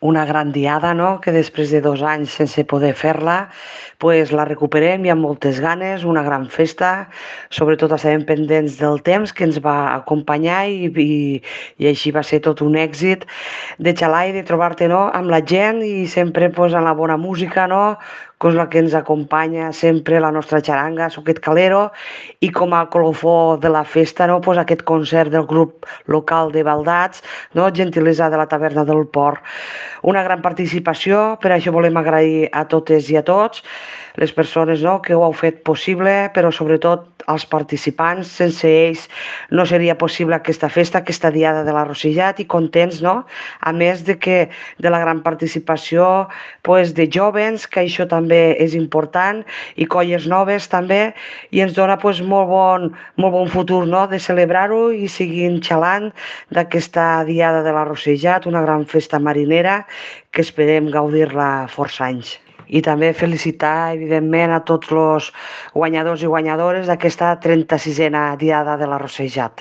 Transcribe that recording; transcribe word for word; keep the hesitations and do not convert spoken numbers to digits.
una gran diada, no?, que després de dos anys sense poder fer-la, pues la recuperem i amb moltes ganes, una gran festa, sobretot estàvem pendents del temps que ens va acompanyar i, i, i així va ser tot un èxit de xalar i de trobar-te, no?, amb la gent i sempre pues, amb la bona música, no?, que és la que ens acompanya sempre, la nostra xaranga, Soquet Calero, i com a colofó de la festa, no?, pues, aquest concert del grup local de Baldats, no?, gentilesa de la taverna del Port. Una gran participació, per això volem agrair a totes i a tots les persones, no?, que ho heu fet possible, però sobretot als participants. Sense ells no seria possible aquesta festa, aquesta diada de la Rosellat, i contents, no?, a més de que de la gran participació pues, de jovens, que això també és important, i colles noves també, i ens dona pues, molt, bon, molt bon futur, no?, de celebrar-ho i seguint xalant d'aquesta diada de la Rosellat, una gran festa marinera que esperem gaudir-la força anys. I també felicitar, evidentment, a tots els guanyadors i guanyadores d'aquesta trenta-sisena diada de la Rosellat.